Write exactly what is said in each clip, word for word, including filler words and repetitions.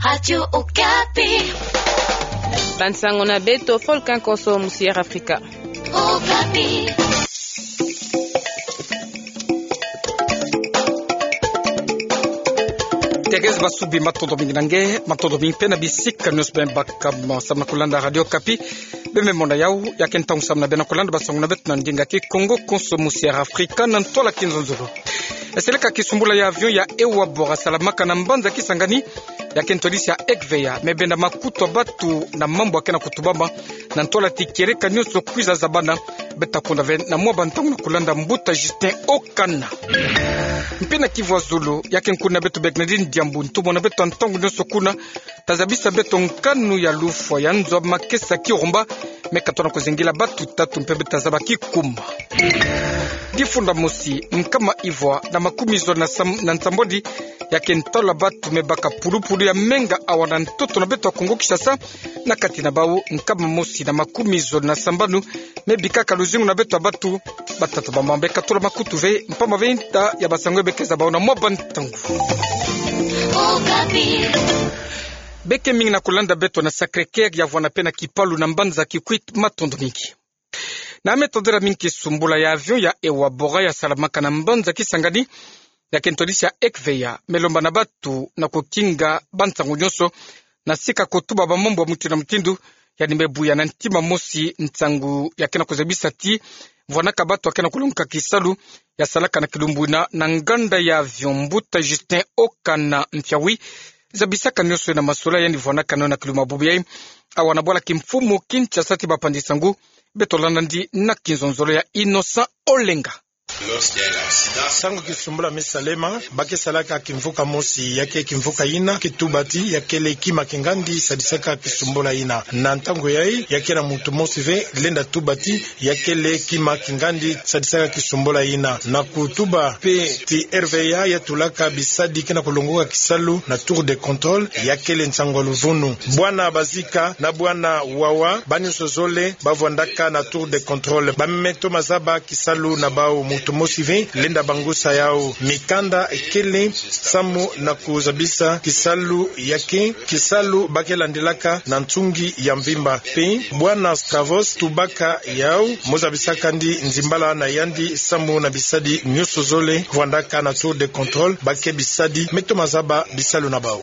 Radio Okapi. Bansango na beto Volcan Kosso Musier Africa. Okapi. Thérèse Basubi, matondo mingi na nge, matondo mingi mpe na bisika nyonso beno baka mo samu na kulanda Radio Okapi. Beno me mona yawu, ya ke ntangu samu na beno kulanda bansango na beto na ndinga Kikongo, Kosso Musier Africa, na ntwala kinzonzolo. Eseleka kisumbula ya avion ya Ewabora salamaka na mbanza Kisangani, ya ke ntwadisi ya Ekveya, me benda makutu ya batu na mambu ya ke na kutubama, na ntwala ti kieleka nyonso kwiza zabana. Beta kunda ve na mwa bantangu na kulanda mbuta Justin Okana. Mpe na Kivu ya Zulu, ya ke nkuni na beto Bernardine Diambu, ntumwa na beto ya ntangu nyonso kuna, ta zabisa beto nkanu ya lufwa ya nzo ya makesa Kirumba, me katona kuzengila batu tatu mpe beta zaba kikuma. Difunda mosi, nkama ivwa na makumi zole na sam-, na nsambwadi, ya ke ntalo ya batu me baka pulupulu ya menga awa na ntoto na beto ya Kongo Kinshasa, na kati na bawu nkama mosi na makumi zole na sambanu me bikaka luzingu na beto ya batu. Batata bamama, beka tula makutu ve, mpamba ve nta ya bansango ya beka zaba bawu na mwa bantangu. Okapi. Beke mingi na kulanda beto na Sacré-Cœur ya vwanda mpe na Kipalu na mbanza Kikwit, matondo mingi. Na me tondela mingi kisumbula ya avion ya Ewabora ya salamaka na mbanza Kisangani, ya ke ntwadisi ya Ekveya, me lomba na batu na kukinga bansangu nyonso, na sika kutuba bamambu ya mutindu na mutindu, yandi me buya na ntima mosi nsangu ya ke na kuzabisa ti vwanaka batu ya ke na kulongoka kisalu ya salaka na kilumbu yina na nganda ya avion. Mbuta Justin Okana Mfiawi, zabisaka nyonso na masolo yandi vwanaka nayo na kilumbu ya bubu yayi awa na bwala kimfumu Kinshasa ti bapanzi nsangu. Beto landa yandi na kinzonzolo ya Innocent Olenga. Ntangu kisumbula me salema, ba ke salaka kimvuka mosi, ya ke kimvuka yina ke tuba ti ya kele kima kingandi sadisaka kisumbula yina. Na ntangu yayi, ya ke na muntu mosi ve lenda tuba ti ya kele kima kingandi sadisaka kisumbula yina. Na kutuba mpe ti R V A ya tulaka bisadi ke na kulongoka kisalu na tour de contrôle, ya kele nsangu ya luvunu. Bwana Bazika na bwana Wawa, ba nyonso zole ba vwandaka na tour de contrôle. Ba me toma zaba kisalu na bawu. Muntu mosi ve lenda bangusa yawu. Mikanda kele samu na kuzabisa kisalu ya ke, kisalu ba ke landilaka na nsungi ya mvimba. Mpe bwana Stravos tubaka yawu, mo zabisaka yandi nzimbala na yandi samu na bisadi nyonso zole vwandaka na tour de contrôle, ba ke bisadi me toma zaba bisalu na bawu.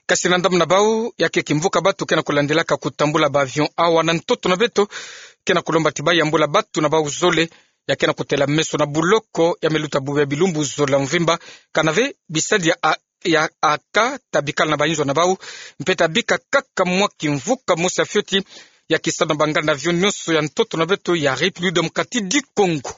Kasi na ndambu na bawu, ya ke kimvuka batu ke na kulandilaka kutambula ba avion awa na ntoto na beto ke na kulomba ti ba yambula batu na bawu zole ya ke na kutela meso na buloko ya me luta bubu ya bilumbu zole ya mvimba, kana ve bisadi ya a-, ya aka ta bikala na bayinzo na bawu, mpe ta bika kaka mwa kimvuka mosi ya fioti ya kisalu na banganda avion nyonso ya ntoto na beto ya République démocratique du Congo.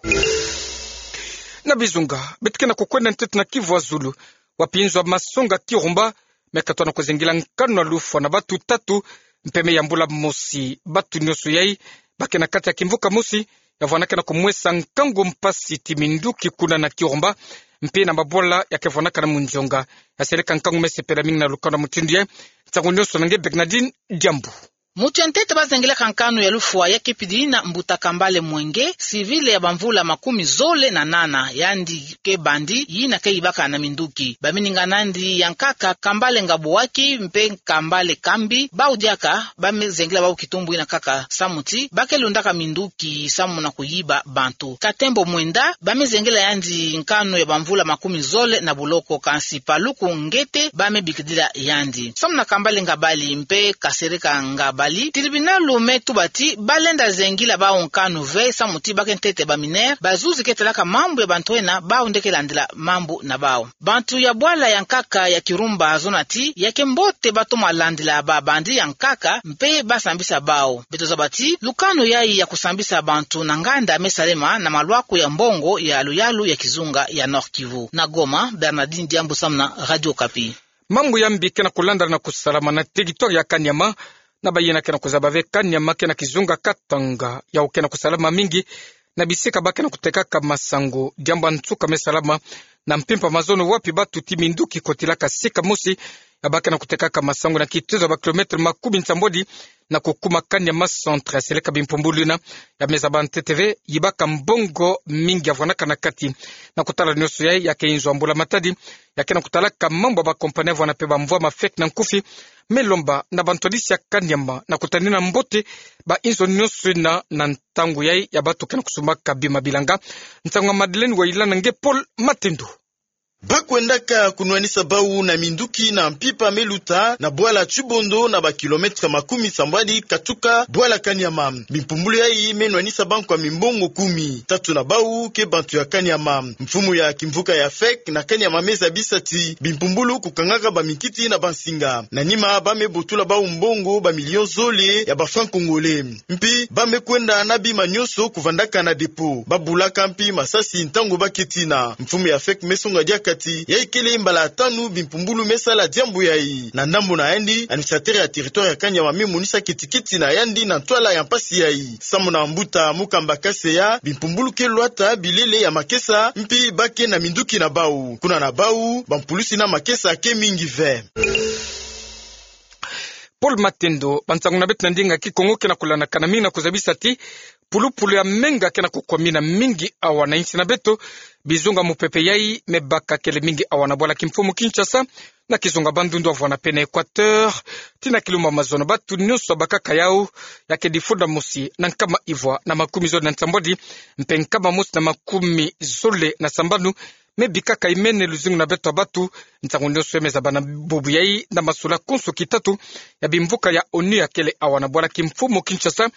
Na bizunga, beto ke na kukwenda ntete na Kivu ya Zulu, wapi nzo ya masonga Kirumba me katona kuzengila nkanu ya lufwa na batu tatu, mpe me yambula mosi. Batu nyonso yayi ba ke na kati ya kimvuka mosi ya vwanaka na kumwesa nkangu mpasi ti minduki kuna na Kirumba, mpe na mabwala ya ke vwanaka na munzonga. Ya seleka nkangu me sepela mingi na lukanu ya mutindu yayi. Nsangu nyonso na nge Bernardine Diambu. Mutu ya ntete ba zengilaka nkanu ya lufwa ya kipidi yina mbuta Kambale Mwenge, civil ya bamvula makumi zole na nana, yandi ke bandi yina ke yibaka na minduki. Bamininga na yandi ya nkaka Kambale Ngabouaki mpe Kambale Kambi, bawu diaka ba me zengila bawu kitumbu yina kaka samu ti ba ke lundaka minduki samu na kuyiba bantu. Katembo Mwenda, ba me zengila yandi nkanu ya bamvula makumi zole na buloko, kansi Paluku Ngete ba me bikidila yandi. Samu na Kambale Ngabali mpe Kasereka Ngabali, tribunal me tuba ti ba lenda zengila bawu nkanu ve samu ti ba ke ntete ba mineur, bazuzi ke talaka mambu ya bantu yina, bawu nde ke landila mambu na bawu. Bantu ya bwala ya nkaka ya Kirumba zona ti ya ke mbote ba toma landila ba bandi ya nkaka mpe ba sambisa bawu. Beto zaba ti lukanu yayi ya kusambisa bantu na nganda me salema na malwaku ya mbongo ya luyalu ya kizunga ya Nord-Kivu. Na Goma, Bernardine Diambu samu na Radio Okapi. Mambu ya mbi ke na kulandala na kusalama na territoire ya Kaniama, na bayina ke na kuzaba ve Kaniama ke na kizunga Katanga, yawu ke na kusalama mingi na bisika ba ke na kutekaka masangu. Diambu ya nsuka me salama na mpimpa mazono wapi batu ti minduki kotilaka sika mosi ya ba ke na kutekaka masangu na kitezo ya ba kilometre makumi nsambwadi na kukuma Kaniama Centre. Ya seleka bimpumbulu yina ya meza ba ntete ve, yibaka mbongo mingi ya vwanaka na kati. Na kutala nionso yayi, ya ke inzo ya mbula-matadi ya ke na kutalaka mambu ya ba kompani ya vwana pe ba mvwama fek na nkufi, me lomba na bantwadisi ya Kaniama na kutanina mbote ba inzo nionso yina na ntangu yayi ya bato ke na kusumbaka bima bilanga. Nsangu ya Madeleine Wayila na nge Paul Matendo. Ba kwendaka kunwanisa bau na minduki na mpimpa me luta na bwala Tshibondo na ba kilometre makumi nsambwadi katuka bwala Kaniama. Bimpumbulu yayi me nwanisa bankwa mimbongo kumi. Tatu na bau ke bantu ya Kaniama. Mfumu ya kimvuka ya fek na Kaniama me zabisa ti bimpumbulu kukangaka ba mikiti na ba nsinga. Na nima ba me botula bau mbongo ba million zole ya ba francs congolais. Mpi ba me kwenda na bima nionso kuvandaka na dépôt. Ba bulaka mpi masasi ntangu ba ke tina. Mfumu ya fek me songa diaka ti yayi kele mbala ya tanu bimpumbulu me sala diambu yayi. Na ndambu na yandi, administrateur ya territoire ya Kaniama me monisa kitikiti na yandi na ntwala ya mpasi yayi. Samu na mbuta Mukamba Kaseya, bimpumbulu ke lwata bilele ya makesa, mpi ba ke na minduki na bau. Kuna na bau, bampulusi na makesa ke mingi ve. Paul Matendo. Bansangu na beto na ndinga ya Kikongo ke na kulandakana mingi na kuzabisa ti pulupulu ya menga ke na kukwamina mingi awa na insi na beto. Bizunga mupepe yayi me baka kele mingi awa na bwala kimfumu Kinshasa, na kizunga Bandundu, Havana pe na Equateur, tii na kilumbu ya mazono. Bato nionso ya bakaka yau ya ke difunda mosi na nkama ivwa na makumi zole na nsambwadi, mpe nkama mosi na makumi zole na sambanu, me bikaka imene luzingu na beto ya bato. Nsangu nionso ya me zaba na bubu yayi na masula konso kitatu ya bimvuka ya onu ya kele awa na bwala kimfumu Kinshasa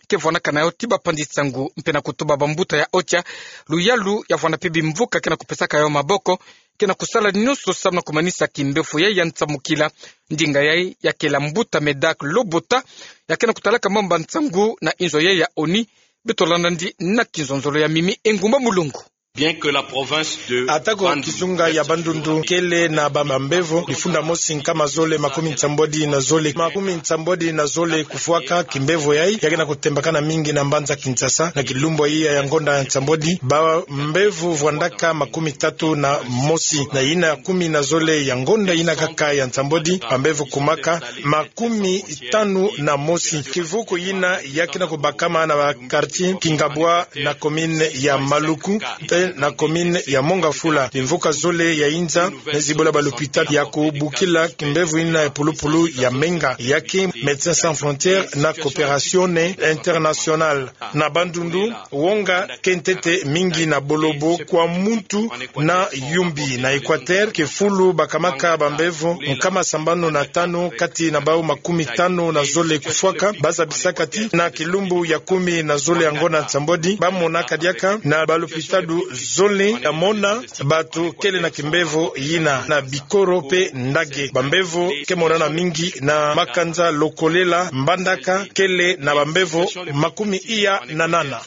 ke vwanaka na yau tii bapanzi nsangu, mpe na kutuba bambuta ya OCHA, luyalu ya vwana pe bimvuka ke na kupesaka yau maboko, ke na kusala nionso samu na kumanisa kimbevo yayi ya nsamukila. Ndinga yayi ya kele ya mbuta Medak Lobota, ya ke na kutalaka mambu ya nsangu na inzo yayi ya onu. Beto landa ndi na kinzonzolo ya Mimi Engumba Mulongo. Bien que la province de Atako Bandundu kizunga ya Bandundu kele na ba, bambevo difunda mosi nkama zole makumi nsambwadi na zole, makumi nsambwadi na zole kufwaka, kimbevo yayi ya ke na kutembakana mingi na mbanza Kinshasa. Na kilumbu yayi ya ngonda ya nsambwadi, bambevo vwandaka makumi tatu na mosi, na yina kumi na zole ya ngonda yina kaka ya nsambwadi, bambevo kumaka makumi tanu na mosi. Kivuku yina ya ke na kubakama na ba quartier Kingabwa na commune ya Maluku, mpe na commune ya Mont-Ngafula. Bimvuka zole ya inza me zibula balopitalo ya kubukila kimbevo yina ya pulupulu ya menga, ya ke Médecins Sans Frontières na Coopération Internationale. Na Bandundu, wonga ke ntete mingi na bolobo kwa muntu na yumbi. Na Equateur, kifulu bakamaka bambevo nkama sambanu na tanu, kati na bau makumi tanu na zole kufwaka. Ba zabisaka ti na kilumbu ya kumi na zole ya ngonda nsambwadi, ba monaka diaka na balopitalo zole ya mona bato kele na kimbevo yina. Na Bikoro mpe Ndage, bambevo ke monana mingi na makanza Lokolela, Mbandaka kele na bambevo makumi iya na nana.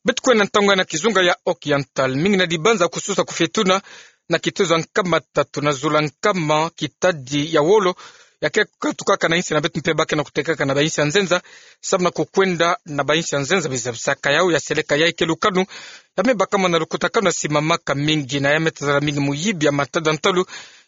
Beto kwenda ntangu na kizunga ya Occidental. Mingi na dibanza kususa kufetuna na kitezo ya nkama tatu na zulu ya nkama, kitadi ya wolo ya ke katukaka na insi na beto mpe ba ke na kutekaka na bainsi ya nzenza, samu na kukwenda na bainsi ya nzenza. Bizabisaka yau ya seleka yayi ke lukanu ya me bakama na lukutakanu ya simamaka mingi, na ya me tazala mingi muyibi ya matadi ya ntalu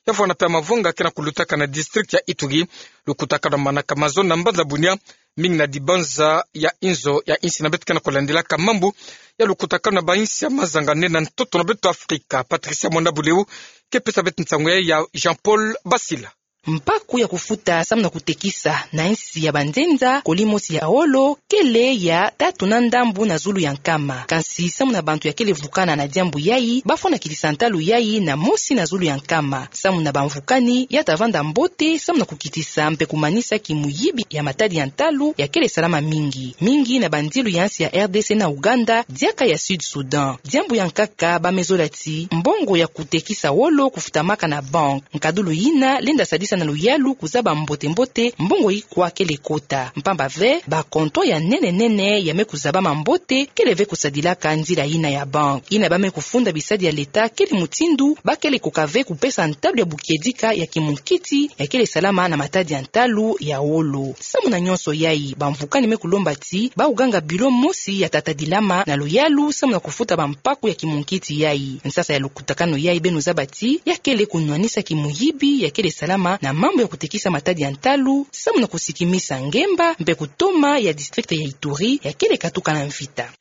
ya vwana mpe ya mavonga ke na kulutaka na district ya Ituri. Lukutakanu ya manaka mazono na mbanza Bunia. Mingi na dibanza ya inzo ya insi na beto ke na kulandilaka mambu ya lukutakanu na bainsi ya mazanga nene na ntoto na beto Afrika. Patricia Mwanda Buleu ke pesa beto nsangu yayi ya Jean Paul Basila. Mpaku ya kufuta samu na kutekisa na insi ya banzenza, koli mosi ya wolo kele ya tatu na ndambu na zulu ya nkama. Kansi samu na bantu ya kele vukana na diambu yayi, ba fwana kitisa ntalu yayi na mosi na zulu ya nkama. Samu na bamvukani, ya ta vanda mbote samu na kukitisa mpe kumanisa kimuyibi ya matadi ya ntalu ya kele salama mingi, mingi na bandilu ya insi ya R D C na Ouganda, diaka ya Sud Soudan. Diambu ya nkaka ba me zola ti mbongo ya kutekisa wolo kufutamaka na banque. Nkadulu yina lenda sadisa kotisa na luyalu kuzaba mbote-mbote mbongo ikwa kele kota. Mpamba ve, ba comptoir ya nene-nene ya me kuzabama mbote kele ve kusadilaka nzila ina ya banque. Ina ba me kufunda bisadi ya leta kele mutindu ba kele koka ve kupesa ntalu ya bukiedika ya kimunkiti ya kele salama na matadi ya ntalu ya wolo. Samu na nyonso yai, bamvukani me kulomba ti ba uganga bilo mosi ya tatadilama na luyalu samu na kufuta bampaku ya kimunkiti yai. Nsasa ya lukutakanu yai beno zaba ti ya kele kunwanisa kimuyibi ya kele salama na mambu ya kutekisa matadi ya ntalu samu na kusikimisa ngemba mpe kutoma ya district ya Ituri ya kele katuka na mvita.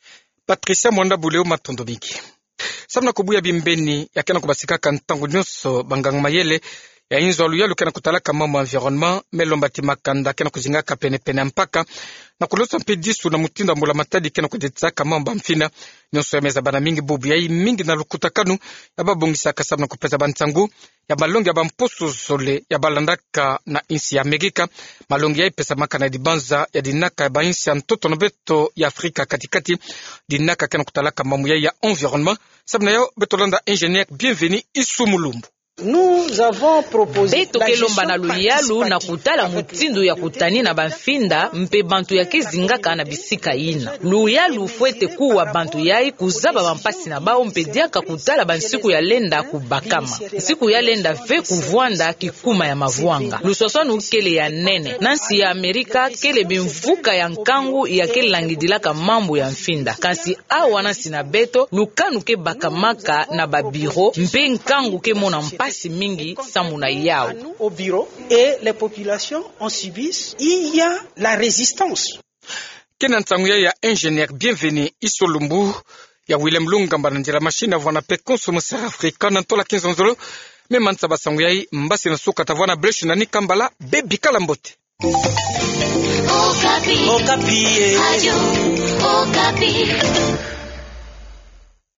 Patricia Mwanda Buleo, matondo mingi. Samu na kubuya bimbeni ya ke na kubasikaka ntangu nyonso banganga-mayele ya inzo ya luyalu ke na kutalaka mambu ya environnement, me lomba ti makanda ke na kuzingaka pene-pene ya mpaka na kulosa mpe disu na mutindu ya mbula-matadi ke na kudetisaka mambu ya mfina. Nyonso ya me zabana mingi bubu yai mingi na lukutakanu ya babongisaka samu na kupesa bansangu ya malongi ya bamposo zole ya balandaka na insi ya Amerika. Malongi yai pesamaka na dibanza ya dinaka ya bainsi ya ntoto na beto ya Afrika kati-kati, dinaka ke na kutalaka mambu yai ya environnement. Samu na yau, beto landa ingénieur Bienvenu Issoumou Lumbu. Beto ke lomba na luyalu na kutala mutindu ya kutanina bamfinda mpe bantu ya ke zingaka na bisika ina. Luyalu fwete kuwa bantu yai kuzaba bampasi na bau mpe diaka kutala bansiku ya lenda kubakama. Nsiku ya lenda ve kuvwanda kikuma ya mavwanga. Luswaswanu kele ya nene. Na nsi ya Amerika kele bimvuka ya nkangu ya ke langidilaka mambu ya mfinda. Kansi awa na nsi na beto, lukanu ke bakamaka na ba bureau, mpe nkangu ke mona mpasi mingi samu na yau. Au bureau et les populations en subissent, il y a la résistance. Ke na nsangu yai ya ingénieur Bienvenu Issoumou Lumbu, ya Willem Lungamba na nzila machine, avwanda mpe Konso Mosera Afrika na ntola kinzonzolo. Me mansa ba nsangu yai, mbasi na suka tavwanda Blaise na Nika Mbala, bebikala mbote. Okapi. Okapi, eh. Radio Okapi.